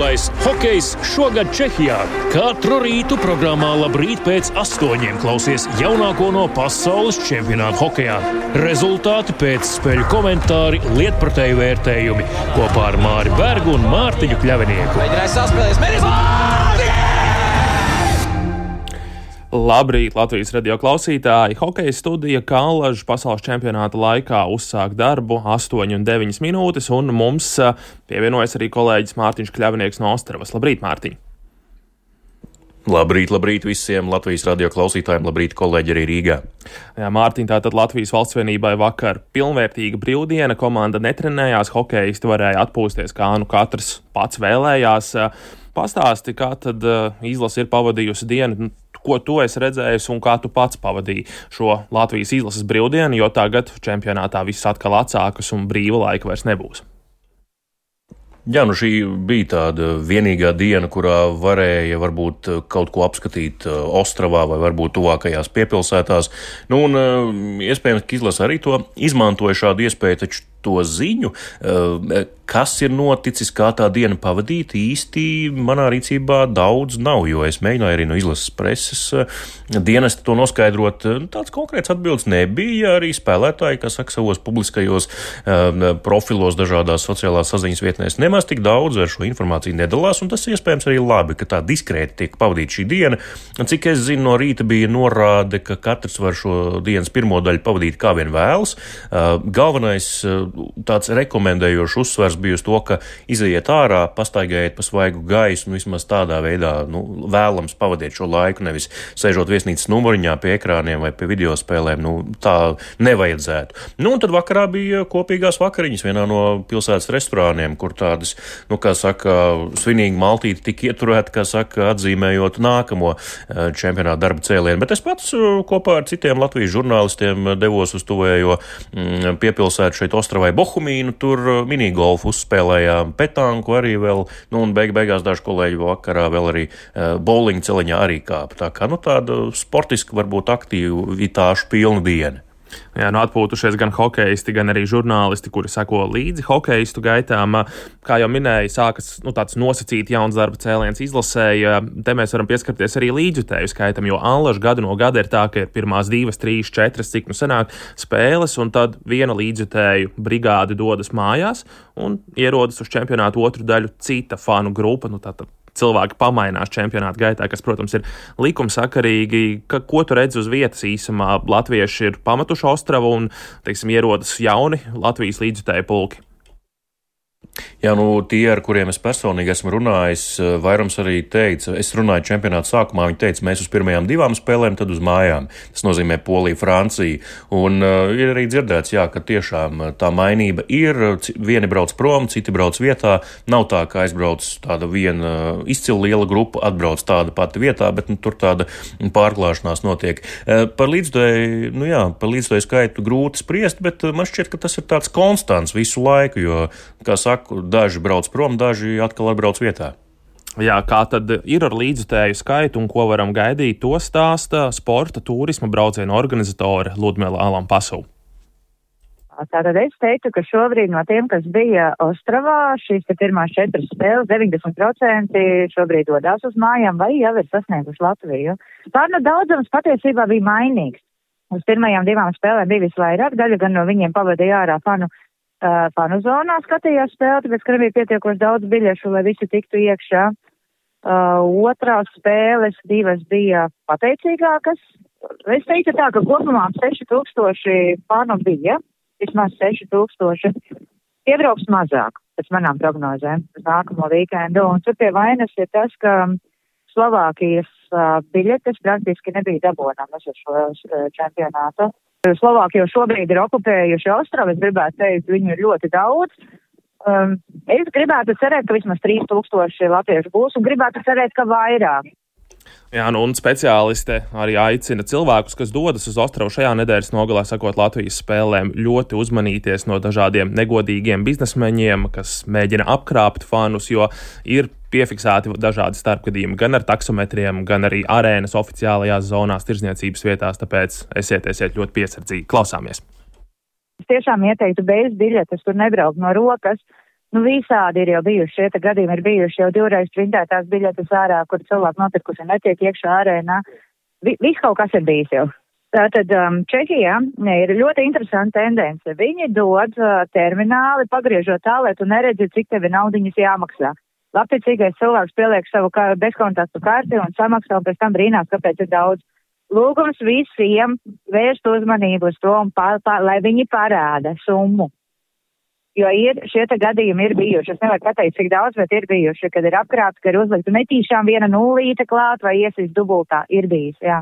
Brīvais hokejs šogad Čehijā. Katru rītu programmā Labrīt pēc 8 klausies jaunāko no pasaules čempionāta hokejā. Rezultāti pēc spēļu komentāri, lietpratēju vērtējumi kopā ar Māri Bergu un Mārtiņu Kļavinieku. Labrīt, Latvijas radio klausītāji! Hokeja studija Kallažu pasaules čempionāta laikā uzsāk darbu 8:09 minūtes, un mums pievienojas arī kolēģis Mārtiņš Kļavinieks no Ostravas. Labrīt, Mārtiņ! Labrīt visiem Latvijas radio klausītājiem, labrīt kolēģi arī Rīgā. Jā, Mārtiņ, tātad Latvijas valstsvienībai vakar pilnvērtīga brīvdiena, komanda netrenējās, hokeisti varēja atpūsties, kā nu katrs pats vēlējās. Pastāsti, kā tad izlase ir pavadījusi dienu, ko tu esi redzējis un kā tu pats pavadīji šo Latvijas izlases brīvdienu, jo tagad čempionātā viss atkal atsākas un brīva laika vairs nebūs. Jā, šī bija tāda vienīgā diena, kurā varēja varbūt kaut ko apskatīt Ostravā vai varbūt tuvākajās piepilsētās. Iespējams, ka izlase arī to izmantoja šādu iespēju, taču to ziņu, kas ir noticis, kā tā diena pavadīta, īsti manā rīcībā daudz nav, jo es mēģināju arī no izlases preses dienesta to noskaidrot. Tāds konkrēts atbildes nebija, arī spēlētāji, kas saka savos publiskajos profilos dažādās sociālās saziņas vietnēs nemaz tik daudz ar šo informāciju nedalās, un tas iespējams arī labi, ka tā diskrēti tiek pavadīta šī diena. Cik es zinu, no rīta bija norāde, ka katrs var šo dienas pirmo daļu pavadīt kā vien vēlas. Galvenais tāds rekomendējošs uzsvers bija uz to, ka izejiet ārā, pastaigājiet pa svaigu gaisu un vismaz tādā veidā vēlams pavadiet šo laiku, nevis sēžot viesnīcas numuriņā pie ekrāniem vai pie videospēlēm. Tā nevajadzētu. Un tad vakarā bija kopīgās vakariņas vienā no pilsētas restorāniem, kur tādas, svinīgi maltīti tika ieturēti, atzīmējot nākamo čempionāta darba cēlienu. Bet es pats kopā ar citiem Latvijas žurnālistiem devos uz tuvējo piepilsētu šeit Ostravai Bohumīnu, tur minigolfu uzspēlējām, petanku arī vēl, un beigās daži kolēģi vakarā vēl arī bowlinga celiņā arī kāpa. Tā kā tāda sportiska, varbūt aktivitāšu pilna diena. Jā, atpūtušies gan hokeisti, gan arī žurnālisti, kuri seko līdzi hokeistu gaitām. Kā jau minēja, sākas tāds nosacīti jauns darba cēliens izlasēja. Te mēs varam pieskarties arī līdzjutēju skaitam, jo Allaž gadu no gada ir tā, ka ir pirmās 2, 3, 4, cik sanāk spēles, un tad viena līdzjutēju brigāde dodas mājās un ierodas uz čempionātu otru daļu cita fanu grupa, tātad cilvēki pamainās čempionāta gaitā, kas, protams, ir likumsakarīgi. Ko tu redzi uz vietas īsumā? Latvieši ir pametuši Ostravu un, ierodas jauni Latvijas līdzjutēju pulki. Jā, tie, ar kuriem es personīgi esmu runājis, vairums arī teica, es runāju čempionāta sākumā, viņi teica, mēs uz pirmajām 2 spēlēm, tad uz mājām. Tas nozīmē Polija, Francija. Un ir arī dzirdēts, ka tiešām tā mainība ir, vieni brauc prom, citi brauc vietā. Nav tā, ka aizbrauc tāda viena izcila liela grupa, atbrauc tāda pati vietā, bet tur tāda pārklāšanās notiek. Par līdzjutēju skaitu grūti spriest, bet man šķiet, ka tas ir tāds konstants visu laiku, jo, kā saku, daži brauc prom, daži atkal atbrauc vietā. Jā, kā tad ir ar līdzjutēju skaitu un ko varam gaidīt, to stāsta sporta turisma braucienu organizatore Ludmila Alampasova. Tātad es teiktu, ka šobrīd no tiem, kas bija Ostravā, šīs pirmās 4 spēles, 90% šobrīd dodās uz mājām vai jau ir sasnieguši Latviju. Daudzums patiesībā bija mainīgs. Uz pirmajām 2 spēlēm bija visvairāk, daļa gan no viņiem pavadīja ārā fanu zonā skatījās spēli, tāpēc, ka nebija pietiekoši daudz biļešu, lai visi tiktu iekšā. Otrās spēles 2 bija pateicīgākas. Es teiktu tā, ka kopumā 6000 fanu bija, vismaz 6000. Iebrauks mazāk, pēc manām prognozēm, uz nākamo vīkendu. Un tur pie vainas ir tas, ka Slovākijas biļetes praktiski nebija dabonāmas uz šo čempionātu. Slovāki jau šobrīd ir okupējuši Ostravu, es gribētu teikt, viņu ir ļoti daudz. Es gribētu cerēt, ka vismaz 3000 latviešu būs un gribētu cerēt, ka vairāk. Jā, un speciāliste arī aicina cilvēkus, kas dodas uz Ostravu šajā nedēļas nogalē, sakot Latvijas spēlēm, ļoti uzmanīties no dažādiem negodīgiem biznesmeņiem, kas mēģina apkrāpt fanus, jo ir piefiksēti dažādi starpgadījumi gan ar taksometriem, gan arī arēnas oficiālajās zonās, tirdzniecības vietās, tāpēc esiet ļoti piesardzīgi. Klausāmies! Es tiešām ieteiktu bez biļetes, tur nebraukt no rokas. Visādi ir jau bijuši, šie gadījumi ir bijuši jau 2 reizes printētās biļetes ārā, kur cilvēki notikuši netiek iekšā arēnā. Viss kaut kas ir bijis jau. Tātad Čehijā ir ļoti interesanta tendence. Viņi dod termināli, pagriežot tā, lai tu neredzi, cik tevi naudiņas jāmaksā. Labticīgais cilvēks pieliek savu bezkontaktu karti un samaksā, un pēc tam brīnās, kāpēc ir daudz. Lūgums visiem vērst uzmanību uz to, lai viņi parāda summu. Jo šie gadījumi ir bijuši. Es nevaru pateikt, cik daudz, bet ir bijuši, kad ir apkrāpti, ka ir uzlikta netīšām viena nulīte klāt vai iesīs dubultā. Ir bijis, jā.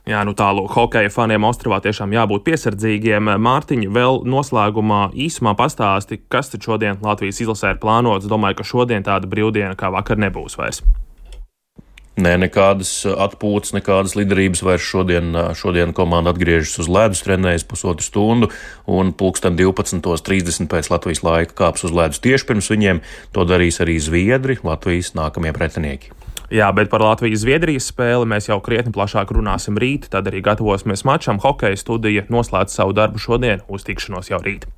Jā, tālūk, hokeja faniem Ostravā tiešām jābūt piesardzīgiem. Mārtiņ, vēl noslēgumā īsumā pastāsti, kas tad šodien Latvijas izlasē ir plānots. Domāju, ka šodien tāda brīvdiena kā vakar nebūs vairs. Nē, nekādas atpūtas, nekādas liderības vairs šodien komanda atgriežas uz ledus, trenējas 1,5 stundu un 12:30 pēc Latvijas laika kāps uz ledus tieši pirms viņiem. To darīs arī Zviedri, Latvijas nākamie pretinieki. Jā, bet par Latvijas-Zviedrijas spēli mēs jau krietni plašāk runāsim rīt, tad arī gatavosimies mačam. Hokeja studija noslēdz savu darbu šodien, uz tikšanos jau rīt.